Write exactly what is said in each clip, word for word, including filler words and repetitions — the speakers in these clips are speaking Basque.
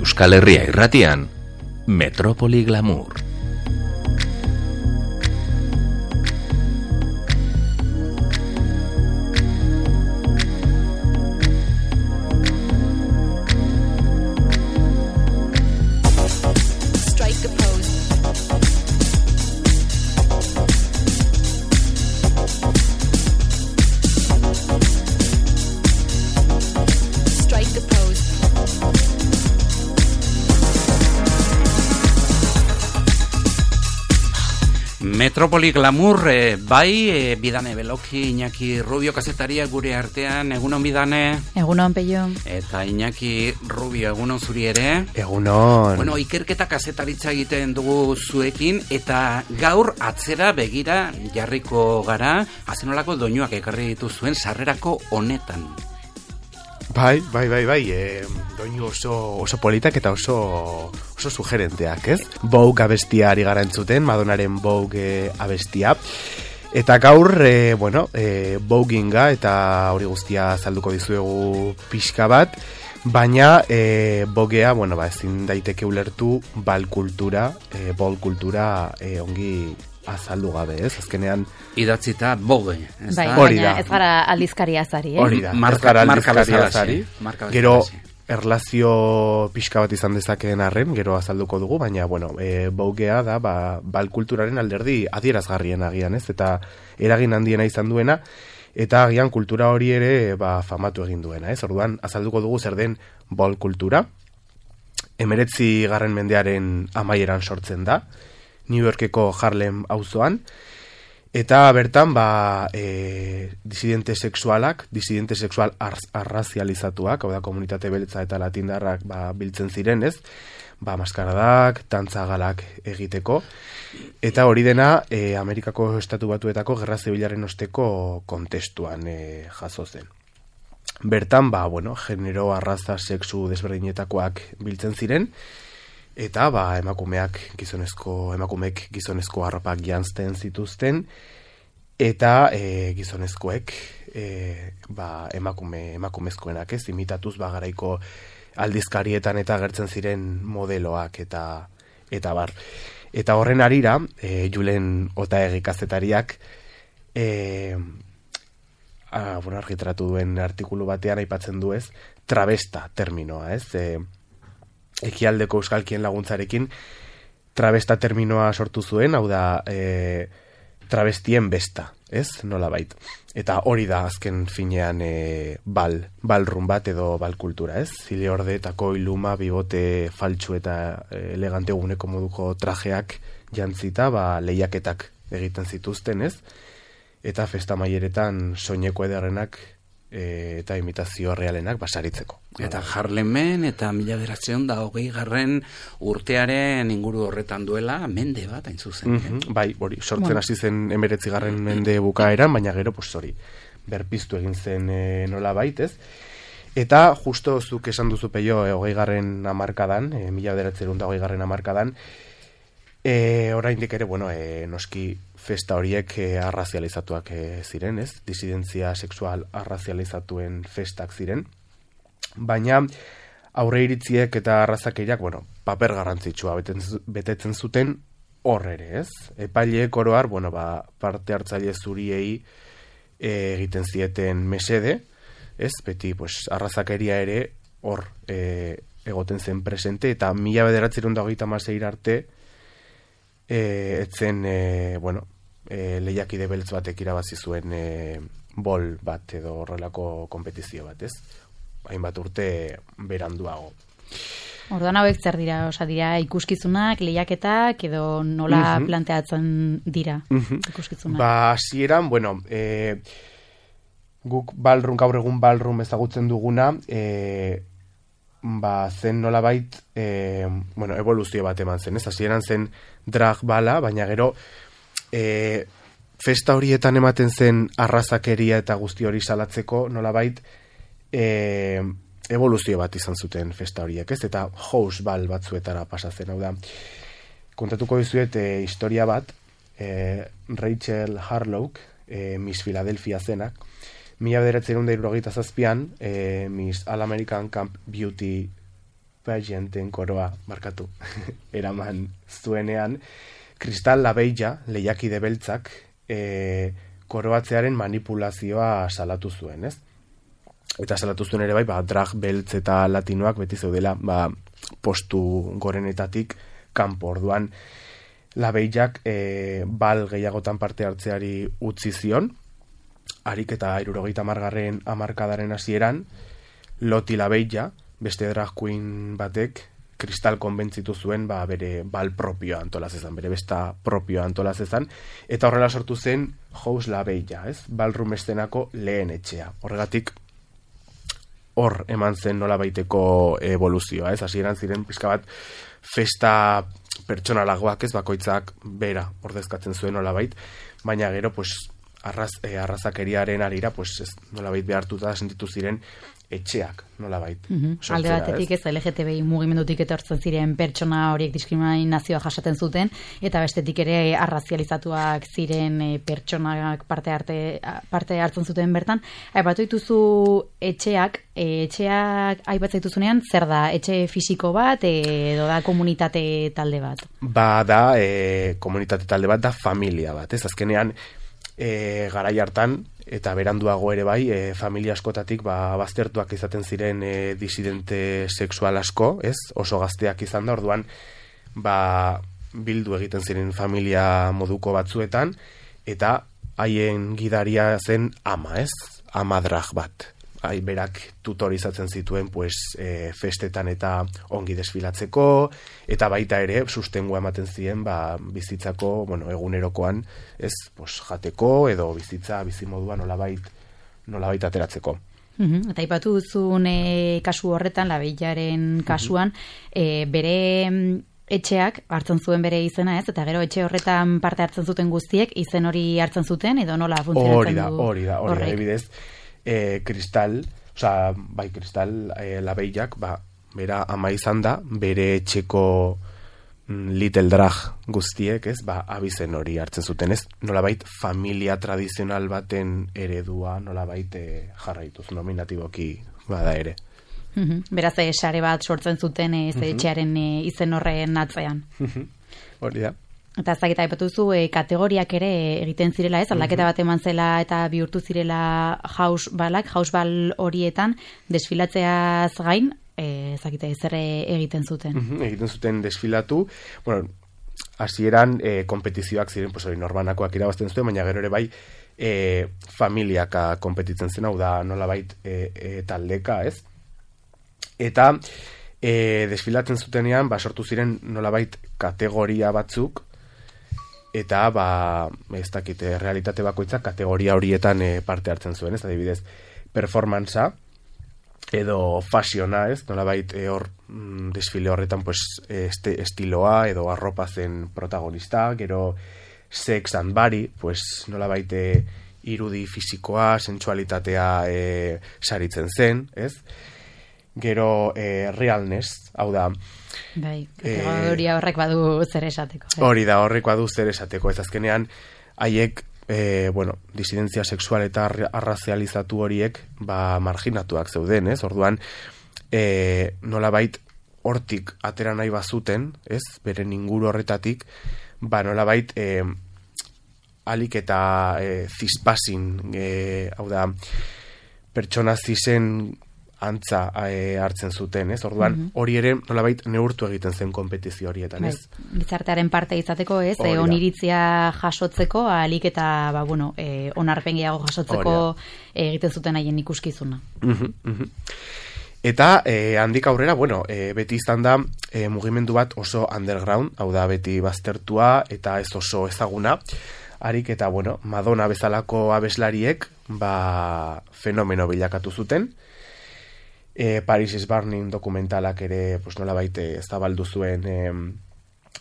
Euskal Herria irratian, Metrópoli Glamour. Metrópoli Glamour, eh, bai, eh, Bidane Beloki, Iñaki Rubio kazetaria gure artean, egunon Bidane. Egunon Peio. Eta Iñaki Rubio, egunon zuri ere. Egunon. Bueno, ikerketa kazetaritza egiten dugu zuekin, eta gaur atzera begira jarriko gara, azenolako doinuak ekarri dituzuen sarrerako honetan. Bai, bai, bai, bai, e, doinu oso, oso politak eta oso, oso sugerenteak, ez? Vogue abestia ari gara entzuten, Madonnaren Vogue abestia. Eta gaur, e, bueno, e, Vogueinga eta hori guztia azalduko dizuegu pixka bat, baina e, Voguea, bueno, ba, ezin daiteke ulertu bal kultura, e, bol kultura e, ongi azaldu gabe, ez? Azkenean idatzita Vogue, ez bai, da? Baina ez gara aldizkaria azari, eh? Hori da, marka, ez gara marka aldizkaria bezalaxe, azari. marka Gero, bezalaxe. erlazio pixka bat izan dezakeen arren, gero azalduko dugu, baina, bueno, e, Voguea da, ba, bal kulturaren alderdi adierazgarrien agian, ez? Eta eragin handiena izan duena, eta agian kultura hori ere, ba, famatu egin duena, ez? Orduan, azalduko dugu zer den bal kultura. Hemeretzi garren mendearen amaieran sortzen da, New Yorkeko Harlem auzoan, eta bertan ba, e, disidente sexualak, disidente sexual arrazializatuak, hau da komunitate beltza eta latindarrak ba, biltzen ziren, ez? Ba, maskaradak, tantzagalak egiteko, eta hori dena e, Amerikako Estatu Batuetako gerra zibilaren osteko kontestuan e, jaso zen. Bertan, ba, bueno, genero, arraza, sexu desberdinetakoak biltzen ziren, eta ba, emakumeak gizonezko, emakumeek gizonezko harrapak janzten zituzten, eta e, gizonezkoek e, ba, emakume, emakumezkoenak ez, imitatuz ba, garaiko aldizkarietan eta agertzen ziren modeloak eta eta bar. Eta horren arira, e, Julen Otaegi kazetariak e, a, bueno, argitratu duen artikulu batean aipatzen du ez, travesta terminoa, ez, e, ekialdeko euskalkien laguntzarekin travesta terminoa sortu zuen, hau da e, travestien besta, ez? Nolabait. Eta hori da azken finean e, bal, balrun bat edo bal kultura, ez? Zile orde eta koiluma, bibote faltsu eta e, elegante guneko moduko trajeak jantzita, ba, lehiaketak egiten zituzten, ez? Eta festa maieretan soineko ederrenak e, eta imitazio realenak basaritzeko. Eta Harlemen eta mila bederatziehun da hogei garren urtearen inguru horretan duela mende bat hain zuzen. Mm-hmm, bai, hori, sortzen hasi zen emeretzi garren mende bukaeran, baina gero, pues hori, berpiztu egin zen e, nola bait, ez? Eta justo zuk esan duzu Peio e, hogei garren amarkadan, e, mila bederatziehun da hogei garren amarkadan, e, oraindik ere, bueno, e, noski festa horiek e, arrazializatuak e, ziren, ez? Disidentzia sexual arrazializatuen festak ziren. Baina aurre iritziek eta arrazakeriak, bueno, paper garrantzitsua betetzen zuten hor ere, ez? Epaileek oroar, bueno, ba, parte hartzaile zuriei e, egiten zieten mesede, ez? Beti, pues, arrazakeria ere hor e, egoten zen presente, eta mila bederatziehun eta hogeita hamasei arte e, etzen, e, bueno, e, lehiakide beltz batek irabazi zuen e, bol bat edo horrelako konpetizio bat, ez? Hainbat urte beranduago. Orduan hauek zer dira, osa dira ikuskizunak, lehiaketak edo nola uh-huh. planteatzen dira uh-huh. ikuskizunak? Ba, hasieran, bueno, e, guk ballroom, gaur egun ballroom ezagutzen duguna, e, ba, zen nolabait, e, bueno, evoluzio bat eman zen, ez? Hasieran zen drag bala, baina gero e, festa horietan ematen zen arrazakeria eta guzti hori salatzeko nolabait, E, evoluzio bat izan zuten festa horiek, ez? Eta house bal batzuetara pasatzen, hau da. Kontatuko dizuet e, historia bat, e, Rachel Harlow, e, Miss Philadelphia zenak, mila bederatziehun eta hirurogeita zazpian, e, Miss All American Camp Beauty pageanten koroa, markatu, eraman zuenean, Kristal Labeija, lehiakide beltzak, e, koroatzearen manipulazioa salatu zuen, ez? Eta salatu zuen ere bai, ba, drag beltz eta latinoak beti zeudela, ba, postu gorenetatik kanpo. Orduan, Labeijak e, bal gehiagotan parte hartzeari utzi zion, harik eta hirurogeita hamargarren hamarkadaren hasieran, Loti Labeija, beste drag queen batek, Kristal konbentzitu zuen ba, bere bal propioa antolaz ezan, bere besta propioa antolaz ezan, eta horrela sortu zen House Labeija, ez? Ballroom eszenako lehen etxea. Horregatik, hor eman zen nolabaiteko evoluzioa, ez? Hasieran ziren pixka bat festa pertsonalagoak, ez? Bakoitzak bera ordezkatzen zuen nolabait, baina gero, pues, arraz, eh, arrazakeriaren arira, pues, ez, nolabait behartuta sentitu ziren etxeak, nolabait. Mm-hmm. Alde batetik ez, L G T B I mugimendutik etortzen ziren pertsona horiek diskriminazioa jasaten zuten, eta bestetik ere arrazializatuak ziren e, pertsonak parte, arte, parte hartzen zuten bertan. Aipatu dituzu etxeak, e, etxeak aipatzen dituzunean, zer da, etxe fisiko bat, e, edo da komunitate talde bat? Ba da, e, komunitate talde bat da familia bat, ez? Azkenean, e, garai hartan, eta beranduago ere bai, e, familia askotatik ba, baztertuak izaten ziren e, disidente sexual asko, ez? Oso gazteak izan da, orduan ba, bildu egiten ziren familia moduko batzuetan, eta haien gidaria zen ama, ez? Ama drag bat. Hai, berak tutorizatzen zituen pues, e, festetan eta ongi desfilatzeko, eta baita ere sustengua ematen ziren ba, bizitzako, bueno, egunerokoan, ez, pues, jateko edo bizitza bizimoduan nolabait, nolabait ateratzeko. Uhum, eta ipatu duzun e, kasu horretan, Labeijaren kasuan, uhum. e, bere etxeak hartzen zuen bere izena, ez? Eta gero etxe horretan parte hartzen zuten guztiek, izen hori hartzen zuten, edo nola funtzionatzen du? Hori da, hori da, hori da, ebidez. E, Kristal, osea, bai Kristal e, Labeijak, ba, bera ama izan da, bere etxeko mm, little drag guztiek, ez, ba, abizen hori hartzen zuten, ez, nolabait familia tradizional baten eredua, nolabait e, jarraituz, nominatiboki bada ere. Mm-hmm. Beraz, e, sare bat sortzen zuten ez mm-hmm. etxearen e, izen horren atzean. Hori da. Eta ez dakita aipatu zu, e, kategoriak ere egiten zirela, ez? Aldaketa bat eman zela eta bihurtu zirela house balak, house bal horietan desfilatzeaz gain, e, ez dakita zer egiten zuten. Uh-huh, egiten zuten desfilatu, bueno, hasieran e, kompetizioak ziren, pues hori norbanakoak irabazten zuten, baina gero ere bai e, familiaka kompetitzen zen, hau da nolabait e, e, taldeka, ez? Eta e, desfilatzen zutenean, ba, sortu ziren nolabait kategoria batzuk, eta ba, ez dakite, realitate bakoitza kategoria horietan e, parte hartzen zuen, ez adibidez, performancea edo fasiona, ez, nolabait e, hor mm, desfile horretan pues, este, estiloa edo arropa zen protagonista, gero sex and body, pues nolabait e, irudi fisikoa, sensualitatea e, saritzen zen, ez? Gero e, realness, hau da, bai, kategoria horrek badu zer esateko. Eh? Hori da, horrek badu zer esateko. Ez azkenean, haiek, e, bueno, disidentzia sexual eta arrazializatu horiek, ba, marginatuak zeuden, ez? Orduan, e, nolabait, hortik atera nahi bazuten, ez? Beren inguru horretatik, ba, nolabait, e, alik eta e, zispasin, e, hau da, pertsona zizen antza e, hartzen zuten, ez? Orduan, mm-hmm. hori ere nolabait neurtu egiten zen konpetizio horietan, ez? Bai, gizartearen parte izateko, ez? E, oniritzia jasotzeko, alik eta, ba, bueno, e, onarpen gehiago jasotzeko e, egiten zuten haien ikuskizuna. Mm-hmm, mm-hmm. Eta, e, handik aurrera, bueno, e, beti izan da e, mugimendu bat oso underground, hau da beti baztertua eta ez oso ezaguna, harik eta, bueno, Madonna bezalako abeslariek, ba, fenomeno bilakatu zuten. E, Paris is Burning dokumentalak ere pues, nolabait zabaldu zuen e,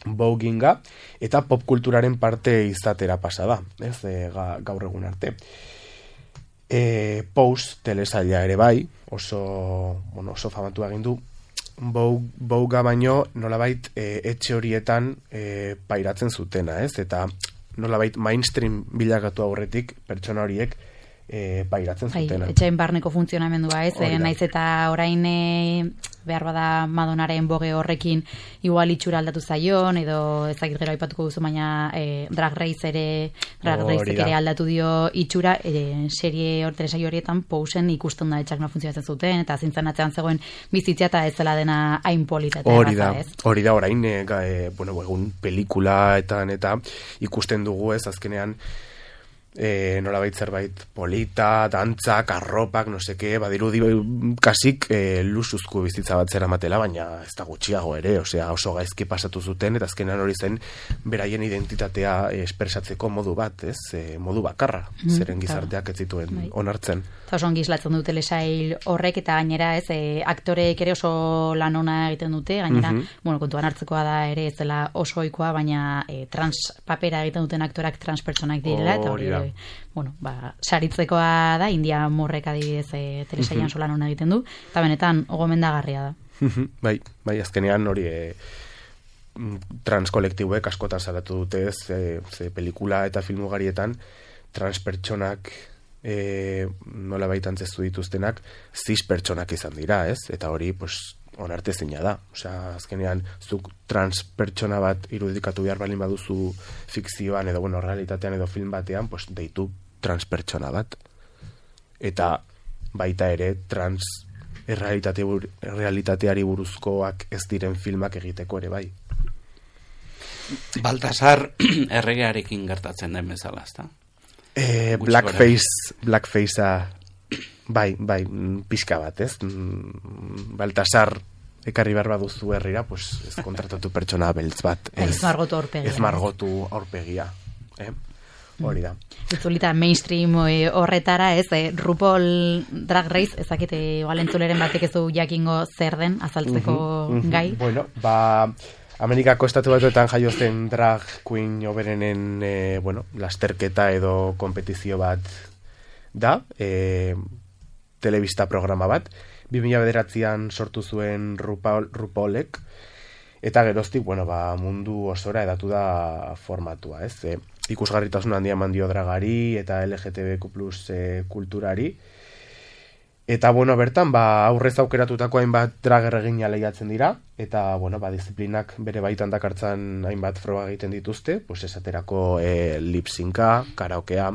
voguinga, eta popkulturaren parte izatera pasada, ez, e, ga, gaur egun arte. E, Pose telesaila ere bai, oso, bueno, oso famatu egin du, Voguea baino nolabait e, etxe horietan e, pairatzen zutena, ez, eta nolabait mainstream bilakatu aurretik pertsona horiek e, pairatzen bai, zutena. Etxain barneko funtzionamendua, ez? Hori da. Naiz eta orain e, behar bada Madonaren boge horrekin igual itxura aldatu zaion, edo ezagit gero aipatuko duzu, baina e, Drag Race ere, Drag Race ere aldatu dio itxura, e, serie hor, telesaio horietan Pousen ikusten da etxak no funtzionatzen zuten, eta zintzen atzean zegoen bizitzia eta ez zela dena hain polita eta hori da, erraza, ez? hori da, orain, e, ga, e, bueno, egun pelikulaetan eta ikusten dugu, ez, azkenean, E, nolabait zerbait polita, dantzak, arropak, no seke, badirudi kasik e, lusuzko bizitza bat zera matela, baina ez da gutxiago ere, osea oso gaizki pasatu zuten, eta azkenan hori zen beraien identitatea e, espresatzeko modu bat, ez, e, modu bakarra, mm, zeren gizarteak ez zituen bai. Onartzen. Eta oso ongi islatzen dute lesail horrek, eta gainera ez, e, aktoreek ere oso lan ona egiten dute, gainera, mm -hmm. bueno, kontuan hartzekoa da ere ez dela oso ohikoa, baina e, trans papera egiten duten aktorak trans pertsonak direla, eta hori bueno, ba, saritzekoa da, India Morrek adibidez e, telesailan uh-huh. solan hona egiten du, eta benetan gomendagarria da. bai, bai, azkenean hori e, trans kolektibuek askotan salatu dute, ze, ze pelikula eta filmugarietan trans pertsonak e, nola baitan zezu dituztenak cis pertsonak izan dira, ez? Eta hori, pues, onartezina da. Osea, azkenean, zuk trans pertsona bat irudikatu behar balin baduzu fikzioan edo, bueno, realitatean edo film batean, pues, deitu trans pertsona bat. Eta baita ere, trans errealitate, realitateari buruzkoak ez diren filmak egiteko ere bai. Baltasar erregearekin gertatzen den bezala, ezta? Eh, blackface, blackfacea bai, bai, pixka bat, ez? Baltasar ekarri behar baduzu herrira, pues, ez kontratatu pertsona beltz bat. Ez, ez margotu aurpegia. Ez margotu aurpegia. Eh? Hori da. Itzulita mainstream horretara, ez, eh, RuPaul Drag Race, ezakite igual entzuleren batek ez du jakingo zer den azaltzeko uh-huh, uh-huh. gai. Bueno, ba, Amerikako estatu batuetan jaio zen drag queen oberenen, eh, bueno, lasterketa edo kompetizio bat da, eh, telebista programa bat, bi mila bederatzian sortu zuen RuPaul, RuPaulek, eta geroztik, bueno, ba, mundu osora edatu da formatua, ez? E, ikusgarritasun handia eman dio dragari eta L G T B Q plus e, kulturari. Eta, bueno, bertan, ba, aurrez aukeratutako hainbat drag erregina lehiatzen dira, eta, bueno, ba, disiplinak bere baitan dakartzan hainbat froga egiten dituzte, pues esaterako e, lip-synca, karaokea,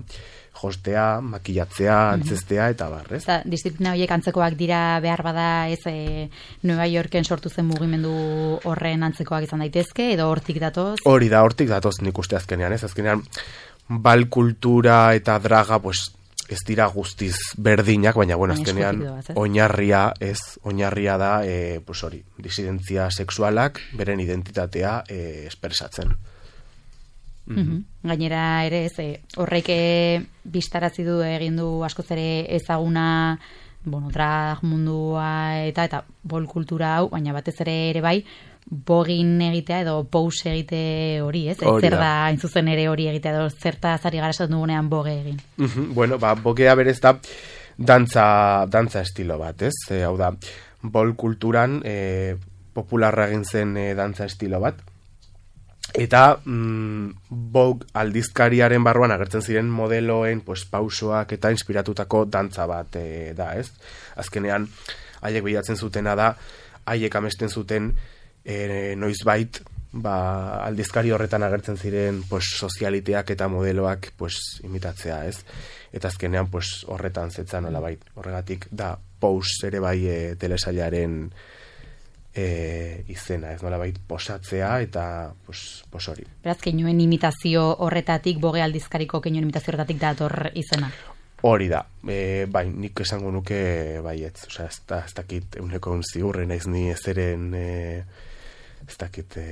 hostea, makillatzea, antzestea, eta barrez. Eta disiplina horiek antzekoak dira behar bada ez e, Nueva Yorken sortu zen mugimendu horren antzekoak izan daitezke, edo hortik datoz? Hori da, hortik datoz nik uste azkenean, ez? Azkenean, bal kultura eta draga, pues, ez dira guztiz berdinak, baina, bueno, azkenean, oinarria, ez, oinarria da, e, pues hori, disidentzia sexualak, beren identitatea e, espresatzen. Mm-hmm. Gainera ere, ez, e, horrek bistarazi du egin du askoz ere ezaguna, bueno, drag mundua eta eta bol kultura hau, baina batez ere ere bai, bogin egitea edo pose egite hori, ez? Hori zer da, hain zuzen ere hori egitea edo zerta zari gara esaten dugunean boge egin. Mm-hmm. Bueno, ba, bogea berez da dantza, dantza estilo bat, ez? E, hau da, bol kulturan e, popularra egin zen e, dantza estilo bat, eta mm, Vogue aldizkariaren barruan agertzen ziren modeloen pues, pausoak eta inspiratutako dantza bat e, da, ez? Azkenean, haiek bilatzen zutena da, haiek amesten zuten e, noizbait, ba, aldizkari horretan agertzen ziren pues, sozialiteak eta modeloak pues, imitatzea, ez? Eta azkenean pues, horretan zetzan nolabait, horregatik da Pose ere bai e, telesailaren E, izena, ez nolabait posatzea eta pues, pos hori. Beraz, keinuen imitazio horretatik, boge aldizkariko keinuen imitazio horretatik dator izena. Hori da, e, bai, nik esango nuke baietz, osea, ez, da, ez dakit euneko ziurren naiz ni ezeren e, ez dakit e,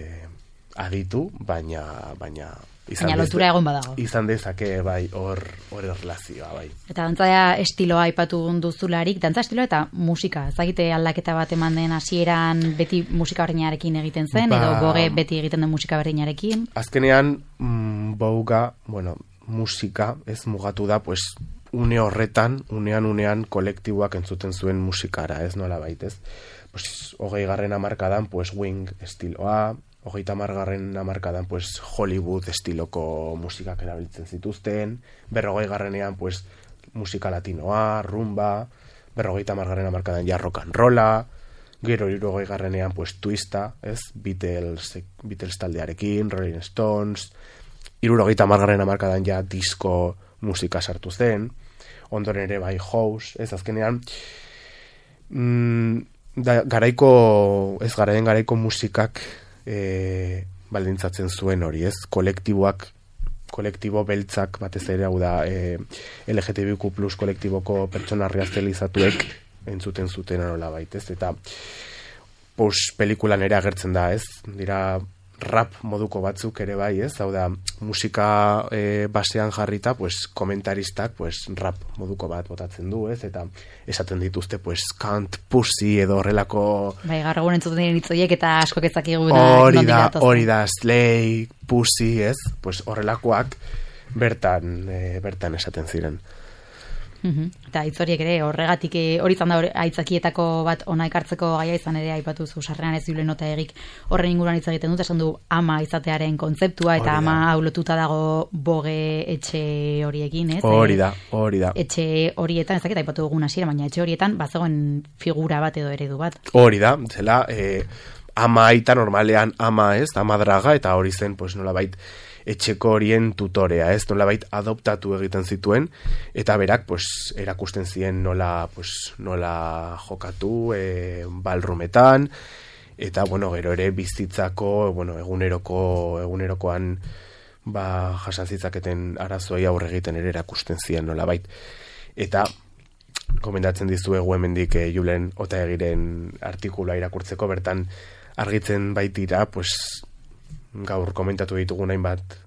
aditu, baina baina izan baina lotura egon badago. Izan dezake, bai, hor hor erlazioa, bai. Eta dantza estiloa aipatu duzularik, dantza estiloa eta musika, ezagite aldaketa bat eman den hasieran beti musika berdinarekin egiten zen, ba, edo boge beti egiten den musika berdinarekin? Azkenean, mm, bouga, bueno, musika, ez mugatu da, pues, une horretan, unean unean kolektiboak entzuten zuen musikara, ez nola baitez. Pues, hogei garren hamarkadan, pues, Wing estiloa, hogeita hamargarren hamarkadan, pues, Hollywood estiloko musikak erabiltzen zituzten, berrogei garrenean, pues, musika latinoa, rumba, berrogeita margarren amarkadan ja rock and rolla, gero hirurogei garrenean pues twista, ez? Beatles, Beatles taldearekin, Rolling Stones, hirurogeita margarren amarkadan ja disco musika sartu zen, ondoren ere bai house, ez azkenean mm, da, garaiko, ez garaien garaiko musikak e, baldintzatzen zuen hori, ez? Kolektiboak, kolektibo beltzak batez ere, hau da e, L G T B Q plus kolektiboko pertsona razializatuek entzuten zuten nola bait, ez? Eta pos pelikulan ere agertzen da, ez? Dira rap moduko batzuk ere bai, ez? Hau da, musika e, basean jarrita, pues, komentaristak, pues, rap moduko bat botatzen du, ez? Eta esaten dituzte, pues, kant, pussy edo horrelako... Bai, gaur egun entzuten diren hitzoiek eta askok ezakigu hori da, hori da, slay, pussy, ez? Pues, horrelakoak bertan, e, bertan esaten ziren. Uhum. Eta hitz horiek ere horregatik hori izan da aitzakietako bat ona ekartzeko gaia izan ere aipatu zu sarrean ez Julen nota egik horren inguruan hitz egiten dut, esan du ama izatearen kontzeptua eta ama hau lotuta dago boge etxe horiekin, ez? Hori da, hori da. Etxe horietan, ez dakit aipatu dugun hasiera, baina etxe horietan bazegoen figura bat edo eredu bat. Hori da, zela eh, ama aita normalean ama, ez? Ama draga eta hori zen, pues nolabait etxeko horien tutorea, ez? Nolabait adoptatu egiten zituen eta berak pues erakusten zien nola pues nola jokatu e, balrumetan eta bueno, gero ere bizitzako, bueno, eguneroko egunerokoan ba jasan zitzaketen arazoei aurre egiten ere erakusten zien nolabait. Eta gomendatzen dizuegu hemendik e, Julen Otaegiren artikulua irakurtzeko, bertan argitzen baitira, pues gaur komentatu ditugu hainbat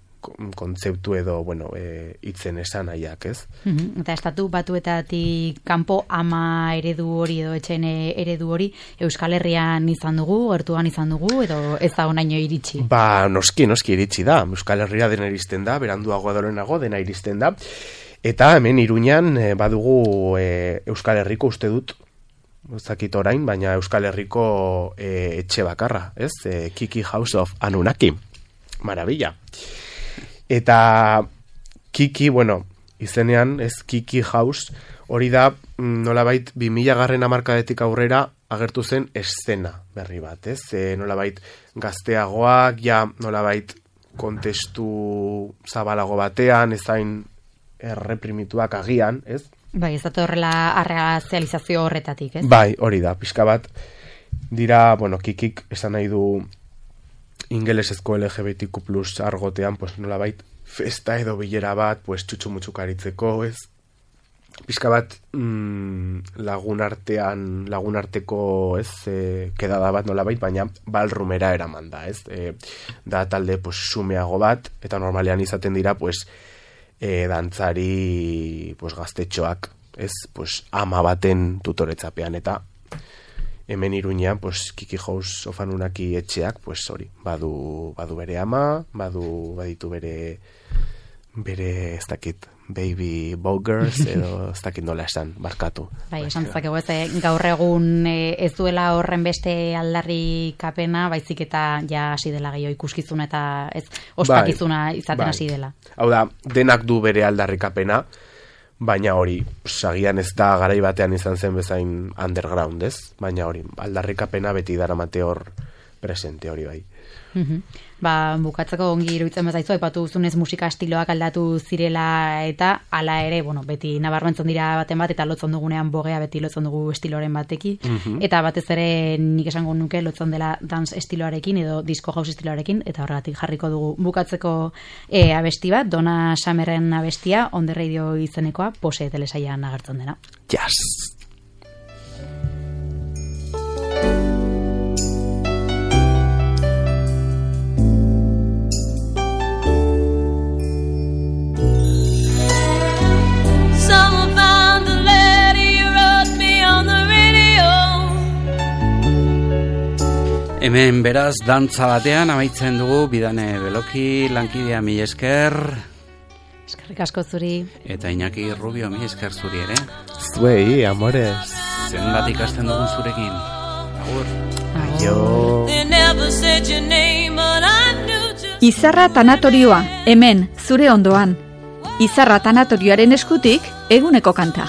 kontzeptu edo, bueno, e, itzen esan nahiak, ez? Mm-hmm. Eta estatu batuetatik kanpo ama eredu hori edo etxen eredu hori Euskal Herrian izan dugu, gertuan izan dugu, edo ez da onaino iritsi? Ba, noski, noski iritsi da. Euskal Herria dena iristen da, beranduago adorenago dena iristen da. Eta hemen Iruñan e, badugu e, Euskal Herriko uste dut, ez dakit orain, baina Euskal Herriko e, etxe bakarra, ez? E, Kiki House of Anunnaki. Maravilla. Eta Kiki, bueno, izenean, ez Kiki House, hori da, nolabait, bi mila garren hamarkadetik aurrera agertu zen eszena berri bat, ez? E, nolabait, gazteagoak, ja, nolabait, kontestu zabalago batean, ezain erreprimituak agian, ez? Bai, ez da horrela arreazializazio horretatik, ez? Bai, hori da, pixka bat, dira, bueno, Kikik esan nahi du ingelesezko L G B T Q plus argotean, pues nolabait, festa edo bilera bat, pues txutxu-mutxukaritzeko, ez? Pixka bat, mm, lagun artean, lagun arteko, ez, e, kedada bat nolabait, baina balrumera eraman da, ez? E, da talde, pues, sumeago bat, eta normalean izaten dira, pues, e, dantzari, pues, gaztetxoak, ez? Pues, ama baten tutoretzapean, eta hemen Iruñean, pues, Kiki House of Anunnaki etxeak, pues, hori, badu, badu bere ama, badu, baditu bere, bere, ez dakit, baby bogers, edo ez dakit nola esan, barkatu. Bai, esan zakegu ez, gaur egun ez duela horren beste aldarrikapena, baizik eta ja hasi dela gehiago ikuskizuna eta ez ospakizuna bai, izaten hasi bai. Dela. Hau da, denak du bere aldarrikapena, baina hori, sagian ez da garai batean izan zen bezain underground, ez? Baina hori, aldarrikapena beti daramate hor presente hori bai. Mm-hmm. Ba, bukatzeko ongi iruditzen bezaizu, aipatu duzunez musika estiloak aldatu zirela eta hala ere, bueno, beti nabarmentzen dira baten bat eta lotzen dugunean bogea beti lotzen dugu estiloren bateki, mm-hmm. Eta batez ere nik esango nuke lotzen dela dance estiloarekin edo disco house estiloarekin, eta horregatik jarriko dugu bukatzeko e, abesti bat, Donna Summerren abestia, On the Radio izenekoa, Pose telesailan agertzen dena. Yes! Hemen beraz, dantza batean amaitzen dugu, Bidane Beloki, lankidea mi esker. Eskerrik asko zuri. Eta Iñaki Rubio mi esker zuri ere. Zuei, amores. Zenbat ikasten dugun zurekin. Agur. Aio. Izarra tanatorioa, hemen, zure ondoan. Izarra tanatorioaren eskutik, eguneko kanta.